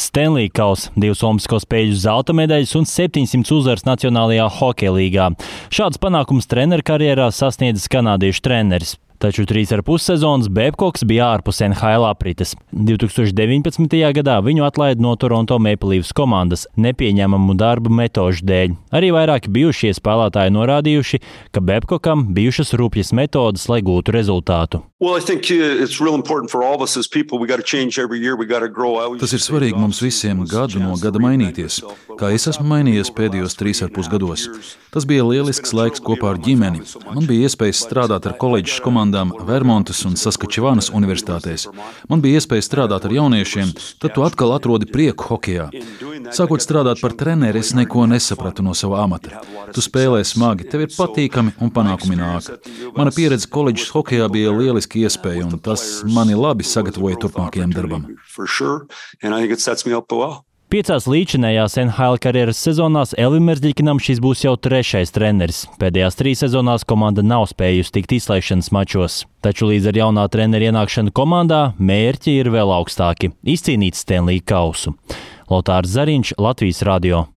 Stanley kauss, 2 olimpisko spēļu zelta medaļas un 700 uzvaras Nacionālajā hokeja līgā. Šāds panākums treneru karjerā sasniedzis kanādiešu treneris. Taču 3,5 sezonas Babcocks bija ārpus NHL aprites. 2019. gadā viņu atlaida no Toronto Maple Leafs komandas nepieņemamu darbu metožu dēļ. Arī vairāki bijušie spēlētāji norādījuši, ka Babcockam bijušas rupjas metodas, lai gūtu rezultātu. Tas ir svarīgi mums visiem gadu no gada mainīties, kā es esmu mainījies pēdējos 3,5 gados. Tas bija lielisks laiks kopā ar ģimeni. Man bija iespējas strādāt ar koledžas komandām Vermontas un Saskačevānas universitātēs. Man bija iespēja strādāt ar jauniešiem, tad tu atkal atrodi prieku hokejā. Sākot strādāt par treneri, es neko nesapratu no sava amata. Tu spēlē smagi, tev ir patīkami un panākumi nāk. Mana pieredze koledžas hokejā bija lieliski iespēja, un tas mani labi sagatavoja turpmākajam darbam. 5 līdzinējās NHL karjeras sezonās Elvim Merzļikinam šis būs jau 3. treneris. Pēdējās 3 sezonās komanda nav spējusi tikt izslēgšanas mačos. Taču līdz ar jaunā trenera ienākšanu komandā mērķi ir vēl augstāki – izcīnīt Stanley kausu. Lotārs Zariņš, Latvijas radio.